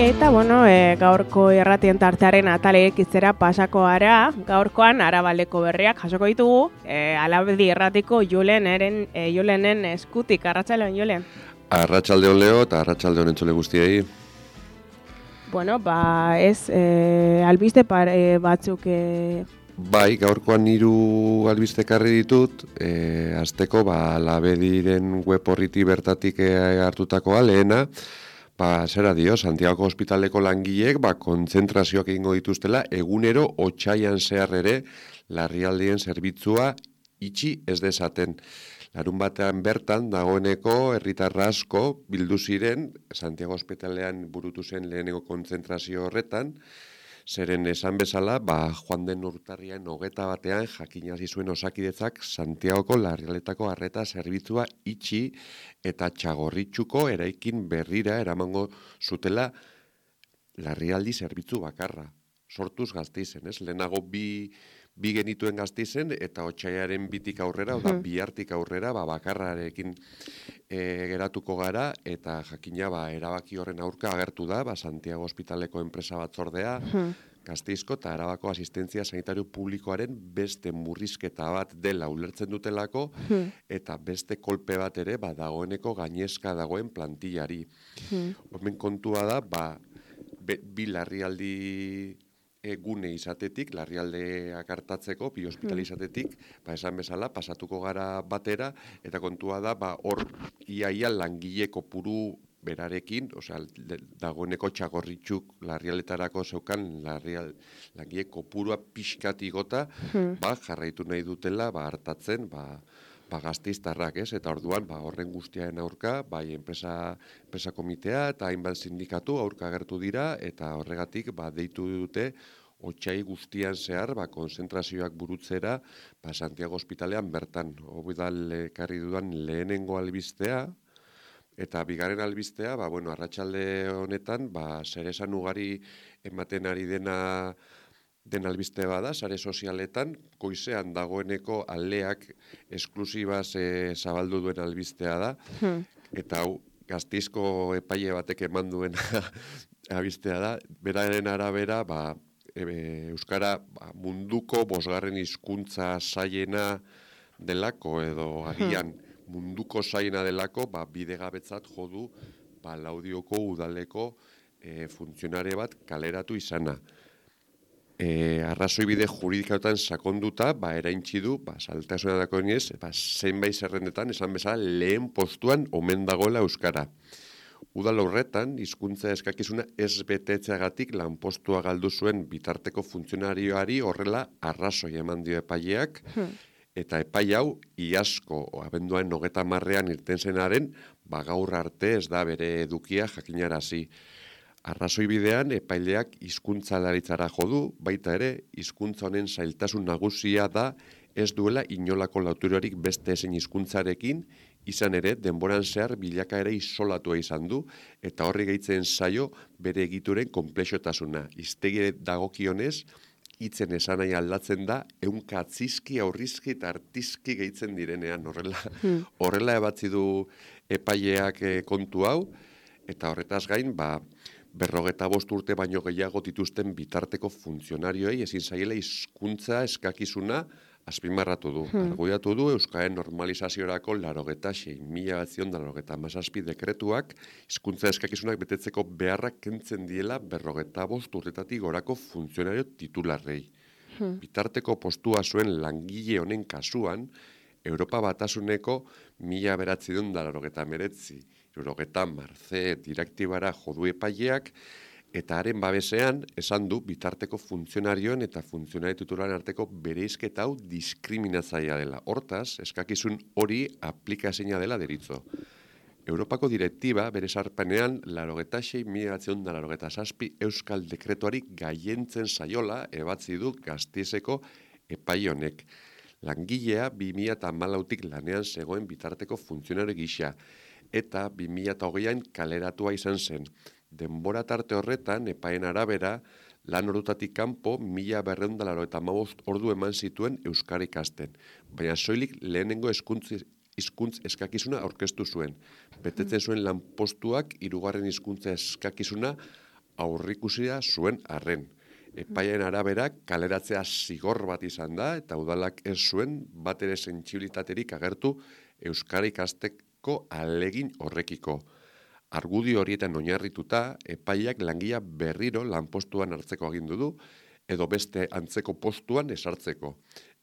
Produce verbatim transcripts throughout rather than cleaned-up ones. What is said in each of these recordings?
Eta, bueno, e, gaurko irratien tartearen atalek izera pasako gara, gaurkoan Arabaleko berriak jasoko ditugu, e, Alabedi irratiko Julenen, e, Julenen eskutik, arratsaldeon Julen. Arratsaldeon Leo eta arratsaldeon entzule guztiei. Bueno, ba, ez, e, albiste pare batzuk... E... Bai, gaurkoan hiru albiste ekarri ditut, e, azteko, ba, Alabediren web horriti bertatik e, hartutakoa, lehena, ba, zera dio, Santiago Hospitaleko langileek, ba, kontzentrazioak egingo dituztela, egunero otsaian zehar ere, larrialdien zerbitzua itxi ez dezaten. Larun batean bertan, dagoeneko, herritarra asko bildu ziren, Santiago Hospitalean burutu zen lehenengo kontzentrazio horretan, zeren esan bezala, ba, joan den urtarrian hogeta batean jakinazi zuen Osakidetzak Santiagoko larrialdetako arreta zerbitzua itxi eta Txagorritxuko eraikin berrira eramango zutela larrialdi zerbitzu bakarra. Sortuz Gasteizen, ez? Lehenago bi, bi genituen Gasteizen eta otsaiaren bitik aurrera, oda bihartik aurrera, ba, bakarrarekin e, geratuko gara, eta jakina ba, erabaki horren aurka agertu da, ba, Santiago Hospitaleko enpresa batzordea, Gasteizko eta Arabako asistentzia sanitario publikoaren beste murrizketa bat dela ulertzen dutelako, eta beste kolpe bat ere, ba, dagoeneko gainezka dagoen plantillari. Hemen kontua da, ba, be, bi larrialdi gune izatetik, larrialdeak hartatzeko, bi ospital izatetik, ba, esan bezala, pasatuko gara batera, eta kontua da, ba, hor iaia langile kopuru berarekin, osea, dagoeneko Txagorritxuk larrialdetarako zeukan larrial, langile kopurua pixkat igota, ba, jarraitu nahi dutela, ba, hartatzen, ba, ba, Gasteiztarrak, ez? Eta orduan, ba, horren guztiaren aurka, bai, enpresa, enpresa komitea eta hainbat sindikatu aurka agertu dira, eta horregatik, ba, deitu dute, otsai guztian zehar, ba, konzentrazioak burutzera, ba, Santiago Hospitalean bertan. Hori da ekarri dudan lehenengo albistea, eta bigarren albistea, ba, bueno, arratsalde honetan, ba, zer esan ugari ematen ari dena den albiste bada, sare sozialetan, goizean dagoeneko aleak esklusibaz e, zabaldu duen albistea da, eta hau, Gasteizko epaile batek eman duen albistea da, beraren arabera, ba, e, Euskara ba, munduko bosgarren hizkuntza zailena delako, edo agian munduko zailena delako, ba, bidegabetzat jodu ba, Laudioko udaleko e, funtzionare bat kaleratu izana. E, arrazoi bide juridikautan sakonduta, ba, eraintzi du, ba, saltasuna dako iniz, ba, zenbait zerrendetan, esan bezala, lehen postuan omen dagoela Euskara. Udal horretan, hizkuntza eskakizuna ez betetzeagatik lanpostua galdu zuen bitarteko funtzionarioari horrela arrazoi eman dio epaileak, eta epai hau, iazko, abenduan hogeta marrean irten zenaren, ba, gaur arte ez da bere edukia jakinarazi. Arrazoi bidean, epaileak hizkuntzalaritzara jo du, baita ere, hizkuntza honen zailtasun nagusia da ez duela inolako lauturarik beste ezein hizkuntzarekin, izan ere, denboran zehar bilakaera isolatua izan du, eta horri gehitzen zaio bere egituren konplexotasuna. Hiztegi dagokionez, hitzen esanai aldatzen da, ehunka atzizki, aurrizki eta artizki gehitzen direnean, horrela, hmm. horrela ebatzi du epaileak kontu hau, eta horretaz gain, ba, berrogeta bost urte baino gehiago dituzten bitarteko funtzionarioei ezin zaiela hizkuntza eskakizuna azpimarratu du. Hmm. Argudiatu du Euskararen normalizaziorako larogeta sei mila batzion da larogeta hamazazpi dekretuak hizkuntza eskakizunak betetzeko beharrak kentzen diela berrogeta bost urtetatik gorako funtzionario titularrei. Hmm. Bitarteko postua zuen langile honen kasuan, Europa Batasuneko mila beratzion da larogeta meretzi. Eurogeta marze direktibara jodu epaileak, eta haren babesean esan du bitarteko funtzionarioen eta funtzionari titularen arteko bereizketa hau diskriminatzailea dela. Hortaz, eskakizun hori aplikazioa dela deritzo. Europako direktiba bere sarpenean larogeta sei mila batzion da larogeta zazpi euskal dekretuari gaientzen zaiola ebatzi du Gasteizeko epaile honek. Langilea bi mila hamalautik lanean zegoen bitarteko funtzionario gisa, eta bi mila hogeian kaleratua izan zen. Denbora tarte horretan, epaien arabera, lan ordutatik kanpo mila berrehun eta laurogeita hamabost ordu eman zituen euskara ikasten. Baina soilik lehenengo hizkuntz hizkuntz eskakizuna aurkeztu zuen. Betetzen zuen lanpostuak hirugarren hizkuntza eskakizuna aurrikusia zuen arren. Epaien arabera kaleratzea zigor bat izan da, eta udalak ez zuen bat ere sentsibilitaterik agertu euskara ikasteko alegin horrekiko. Argudio horietan oinarrituta, epaiak langia berriro lanpostuan hartzeko agindu du, edo beste antzeko postuan esartzeko.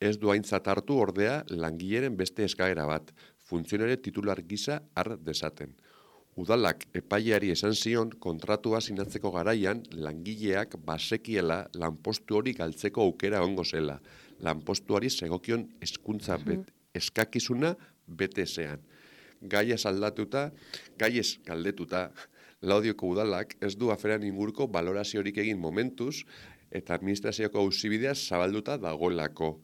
Ez du aintzat hartu ordea langileren beste eskaera bat, funtzionare titular gisa har desaten. Udalak epaileari esan zion kontratua sinatzeko garaian langileak basekiela lanpostu hori galtzeko aukera ongo zela. Lanpostuari segokion hezkuntza bet, eskakizuna bete ezean. Gaiez aldatuta, gaiez galdetuta, Laudioko udalak ez du aferan inguruko baloraziorik egin momentuz eta administrazioko auzibidea zabalduta dagoelako.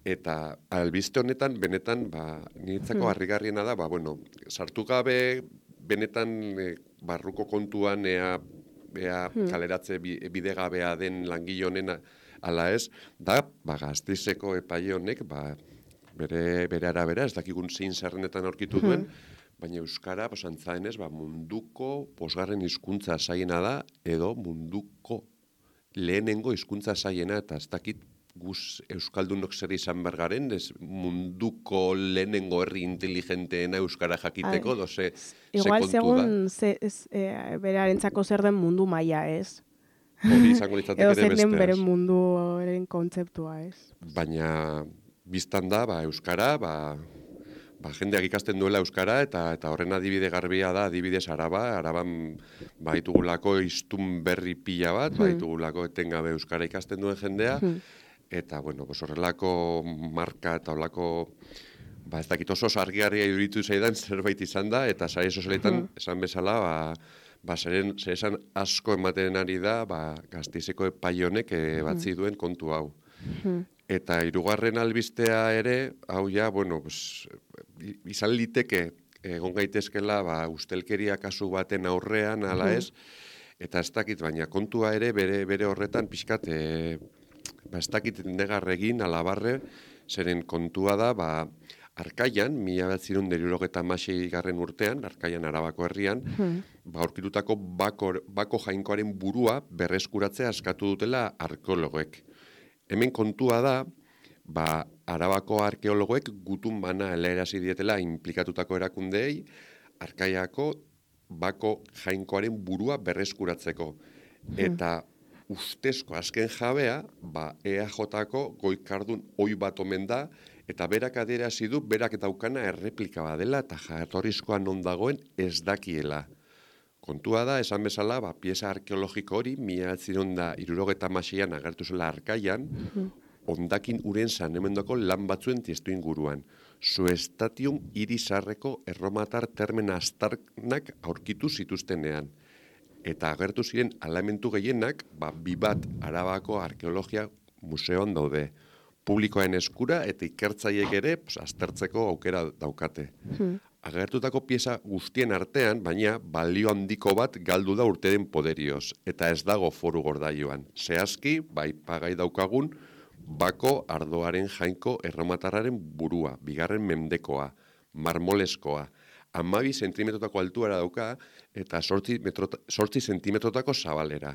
Eta albiste honetan, benetan, ba, niretzako harrigarriena da, ba, bueno, sartu gabe, benetan e, barruko kontuan ea, ea hmm. kaleratze bidegabea den langile honen ala ez, da, ba, Gasteizeko epaile honek, ba, bere, bere arabera, ez dakigun zein zerrenetan aurkitu duen, hmm. baina euskara, pues, antzaenez, ba, munduko posgarren hizkuntza zaiena da, edo munduko lehenengo hizkuntza zaiena, eta ez dakit guz euskaldunok zer izan bergaren, ez munduko lehenengo herri inteligenteena euskara jakiteko, Ai, doze, igual, se kontu da. Igual, segun e, berarentzako zer den mundu maila, ez? Hori izango litzateke ere beste. Edo zer den bere munduaren kontzeptua, ez? Baina, biztan da, ba, euskara, ba, ba, jendeak ikasten duela euskara, eta eta horren adibide garbia da, adibidez Araba, Araban baitugulako hiztun berri pila bat, hmm. baitugulako etengabe euskara ikasten duen jendea, hmm. eta, bueno, pues horrelako marka eta horrelako, ba, ez dakit oso argiarria iduritu zaidan zerbait izan da, eta sare sozialetan, hmm. esan bezala, ba, ba, zeren, zeresan asko ematen ari da, ba, Gasteizeko epaionek e, batzi duen kontu hau. Hmm. Eta hirugarren albistea ere, hau ja, bueno, pues, izan liteke egon gaitezkela, ba, ustelkeria kasu baten aurrean, ala ez, eta ez dakit, baina kontua ere bere, bere horretan pixkat, e, ba, ez dakit negarregin, alabarre, zeren kontua da, ba, Arkaian, mila behatzirun derurogeta masei garren urtean, Arkaian Arabako herrian, hmm. ba, aurkitutako bako, bako jainkoaren burua berreskuratzea askatu dutela arkeologoek. Hemen kontua da, ba, Arabako arkeologoek gutun bana helaerazi dietela inplikatutako erakundeei, Arkaiako bako jainkoaren burua berreskuratzeko. Eta ustezko azken jabea, ba, E A Jko goikardun oi bat omen da, eta berak adierazi du, berak daukana erreplika badela, eta jatorrizkoa non dagoen ez dakiela. Kontua da, esan bezala, ba, pieza arkeologiko hori, mila behatzirun da hirurogeta hamaseian agertu zela Arkaian, hondakin uren sanemendoko lan batzuen tiestu inguruan. Suestatium irisarreko erromatar termen astarnak aurkitu zituztenean. Eta agertu ziren alamentu gehienak, ba, bi bat Arabako arkeologia museoan daude. Publikoen eskura eta ikertzaiek ere pues, aztertzeko aukera daukate. Hmm. Agertutako pieza guztien artean, baina balio handiko bat galdu da urteren poderioz, eta ez dago foru gordaioan. Zehazki, bai pagai daukagun, bako ardoaren jainko erromatarraren burua, bigarren mendekoa, marmoleskoa, hamabi zentimetrotako altuara dauka, eta zortzi zentimetrotako zabalera.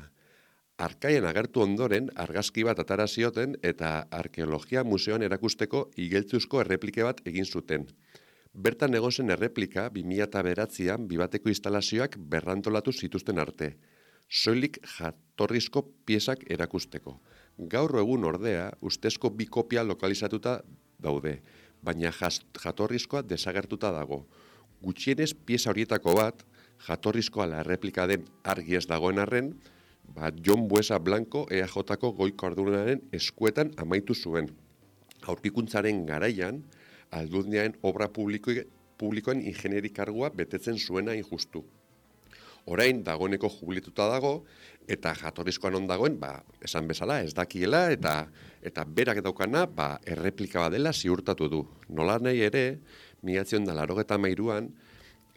Arkaian agertu ondoren, argazki bat atara zioten eta arkeologia museoan erakusteko igeltzuzko erreplike bat egin zuten. Bertan egon zen erreplika bi mila bederatzian bibateko instalazioak berrantolatu zituzten arte. Soilik jatorrizko piezak erakusteko. Gaur egun ordea, ustezko bi kopia lokalizatuta daude, baina jatorrizkoa desagertuta dago. Gutxienez pieza horietako bat, jatorrizkoa la erreplika den argi ez dagoen arren, ba, Jon Buesa Blanco E A Jko goiko ardunaren eskuetan amaitu zuen. Aurkikuntzaren garaian, aldundiaren obra publiko, publikoen ingenieri kargua betetzen zuena injustu. Orain, dagoeneko jubilituta dago, eta jatorrizkoan non dagoen, ba, esan bezala, ez dakiela, eta eta berak daukana, ba, erreplika badela ziurtatu du. Nola nahi ere, mila laurogeta hamairuan,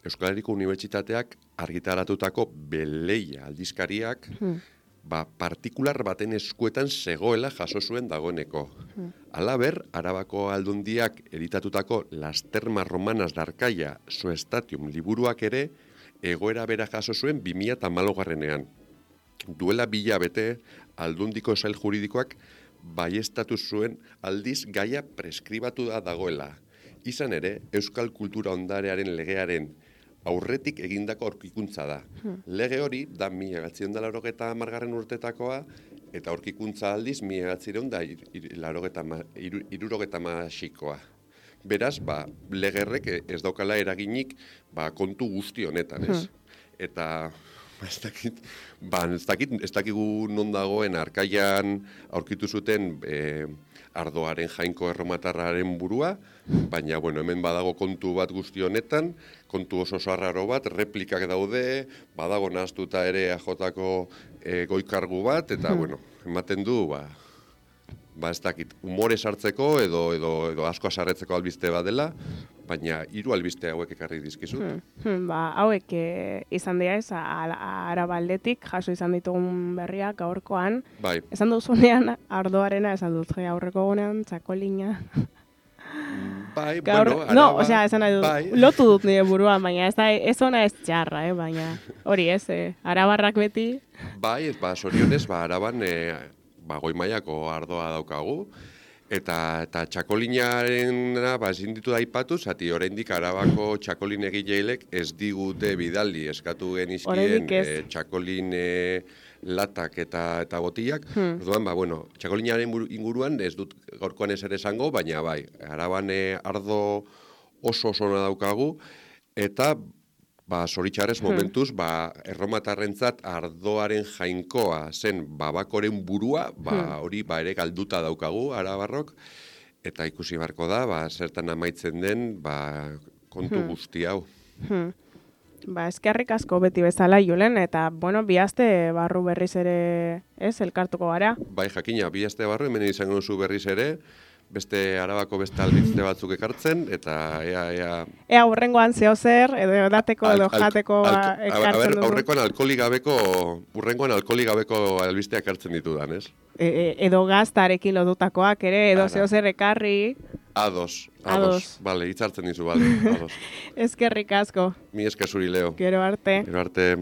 Euskal Herriko Unibertsitateak argitaratutako Beleia aldizkariak hmm. ba, partikular baten eskuetan zegoela jaso zuen dagoeneko. Hmm. Halaber, Arabako aldundiak editatutako Las Termas Romanas de Arkaia Suestatium liburuak ere egoera bera jaso zuen bi mila hamalaugarrenean. duela bilabete Aldundiko sail juridikoak baiestatu zuen aldiz gaia preskribatu da dagoela. Izan ere, Euskal Kultura Ondarearen legearen aurretik egindako aurkikuntza da. Hmm. Lege hori da mila bederatziehun eta laurogeita hamargarren urtetakoa, eta aurkikuntza aldiz mila bederatziehun eta hirurogeita hamaseikoa. Beraz, ba, legerrek ez daukala eraginik ba, kontu guzti honetan, ez? Hmm. Eta ez dakit, ba, ez dakit, ez dakigu non dagoen arkaian aurkitu zuten e, ardoaren jainko erromatarraren burua, baina, bueno, hemen badago kontu bat guzti honetan, kontu oso sarraro bat, replikak daude, badago nahaztuta ere A Jko e, goikargu bat, eta, hmm. bueno, ematen du, ba, ba ez dakit, umore sartzeko edo, edo, edo asko asarretzeko albiste bat dela, baina hiru albiste hauek ekarri dizkizut. Hmm, hmm, ba, hauek e, izan dira ez, Arabaldetik jaso izan ditugun berriak gaurkoan. Bai. Esan duzunean ardoarena, esan dut, aurreko gunean, txakolina. Bai, Gaur, bueno, araba, no, osea, esan nahi dut, bai. Lotu dut nire buruan, baina ez, da, ez ona ez txarra, eh, baina hori ez, eh, arabarrak beti. Bai, ez, ba, sorionez, ba, araban, e, ba, goi mailako ardoa daukagu, eta, eta txakolinaren ba, ezin ditu da ipatu, zati oraindik Arabako txakolin egileilek ez digute bidaldi eskatu genizkien e, txakolin e, latak eta, eta botiak. Hmm. Orduan, ba, bueno, txakolinaren inguruan ez dut gaurkoan ez ere esango, baina bai, Araban e, ardo oso osona daukagu, eta ba, zoritxarrez momentuz, ba, erromatarrentzat ardoaren jainkoa zen babakoren burua, ba, hori ba, ere galduta daukagu, Arabarrok, eta ikusi barko da, ba, zertan amaitzen den, ba, kontu guzti hau. Hmm. Ba, eskerrik asko beti bezala, Julen, eta, bueno, bihazte barru berriz ere, ez, elkartuko gara? Bai, jakina, bihazte barru, hemen izango duzu berriz ere, beste Arabako beste albiste batzuk ekartzen, eta ea, ea... Ea, urrengoan zeo zer, edo edateko, edo jateko al, al, ekartzen dugu. Aurrekoan alkoholik gabeko, urrengoan alkoholik gabeko albistea ekartzen ditudan, ez? E, e, edo gaztarekin lodutakoak ere, edo zeo zer ekarri... Ados, ados. Bale, hitzartzen dizu, bale, ados. Eskerrik asko. Mi esker zuri, Leo. Gero arte. Gero arte.